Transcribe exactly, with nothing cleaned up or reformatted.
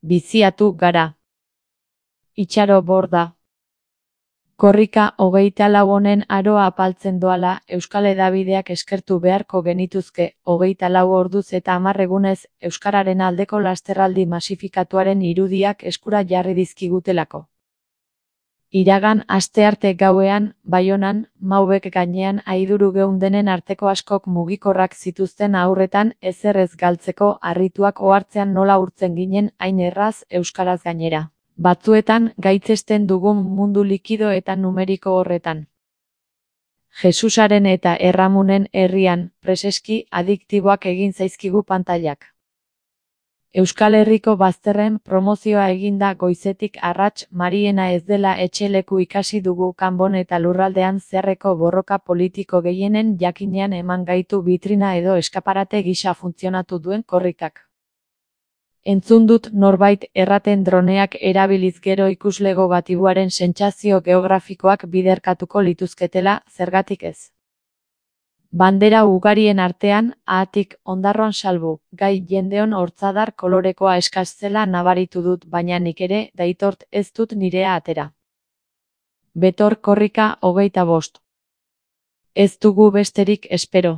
Biziatu gara. Itxaro borda. Korrika hogeita lau honen aroa apaltzen doala, Euskal Hedabideak eskertu beharko genituzke, hogeita lau orduz eta hamar egunez, euskararen aldeko lasterraldi masifikatuaren irudiak eskura jarri dizkigutelako. Iragan astearte gauean, Baionan, Maubek gainean aiduru geundenen arteko askok mugikorrak zituzten aurretan ezer ez galtzeko harrituak ohartzean nola urtzen ginen hain erraz euskaraz gainera. Batzuetan gaitzesten dugun mundu likido eta numeriko horretan. Jesusaren eta Erramunen herrian, preseski adiktiboak egin zaizkigu pantailak. Euskal Herriko bazterren promozioa eginda goizetik arrats Mariena ez dela etxeleku ikasi dugu kanbon eta lurraldean zeharreko borroka politiko gehienen jakinean eman gaitu bitrina edo eskaparate gisa funtzionatu duen korrikak. Entzun dut norbait erraten droneak erabiliz gero ikuslego gatibuaren sentsazio geografikoak biderkatuko lituzketela, zergatik ez. Bandera ugarien artean, ahatik, ondarroan salbu, gai jendeon hortzadar kolorekoa eskas zela nabaritu dut baina nik ere, daitort ez dut nirea atera. Betor korrika hogeita bost. Ez dugu besterik espero.